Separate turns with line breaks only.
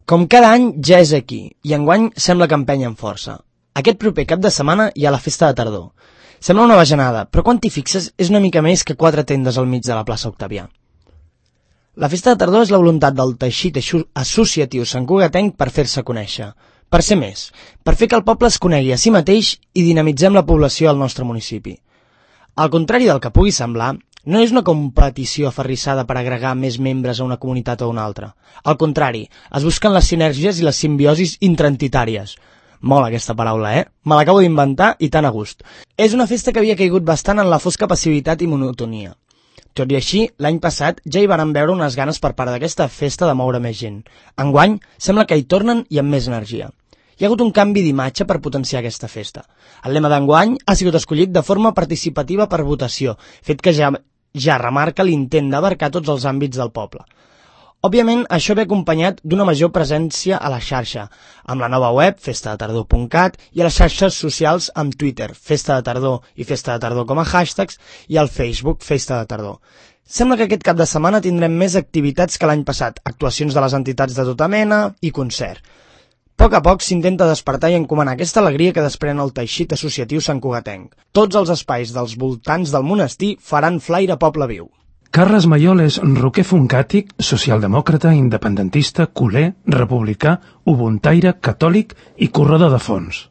Com cada any ja és aquí, i enguany sembla que empenya amb força. Aquest proper cap de setmana hi ha la festa de tardor. Sembla una bajanada, però quan t'hi fixes és una mica més que 4 tendes al mig de la plaça Octavià. La festa de tardor és la voluntat del teixit associatiu santcugatenc per fer-se conèixer, per ser més, per fer que el poble es conegui a si mateix i dinamitzem la població al nostre municipi. Al contrari del que pugui semblar, no és una competició aferrissada per agregar més membres a una comunitat o a una altra. Al contrari, es busquen les sinergies i les simbiosis intraentitàries. Mola aquesta paraula, Me l'acabo d'inventar i tan a gust. És una festa que havia caigut bastant en la fosca passivitat i monotonia. Tot i així, l'any passat ja hi varen veure unes ganes per part d'aquesta festa de moure més gent. Enguany, sembla que hi tornen i amb més energia. Hi ha hagut un canvi d'imatge per potenciar aquesta festa. El lema d'enguany ha sigut escollit de forma participativa per votació, fet que ja remarca l'intent d'abarcar tots els àmbits del poble. Òbviament, això ve acompanyat d'una major presència a la xarxa, amb la nova web festadetardor.cat i a les xarxes socials amb Twitter, Festa de Tardor i Festa de Tardor com a hashtags, i al Facebook Festa de Tardor. Sembla que aquest cap de setmana tindrem més activitats que l'any passat, actuacions de les entitats de tota mena i concert. A poc s'intenta despertar i encomanar aquesta alegria que desprèn el teixit associatiu santcugatenc. Tots els espais dels voltants del monestir faran flaire poble viu.
Carles Mayol és roquer foncàtic, socialdemòcrata, independentista, culer, republicà, ubuntaire, catòlic i corredor de fons.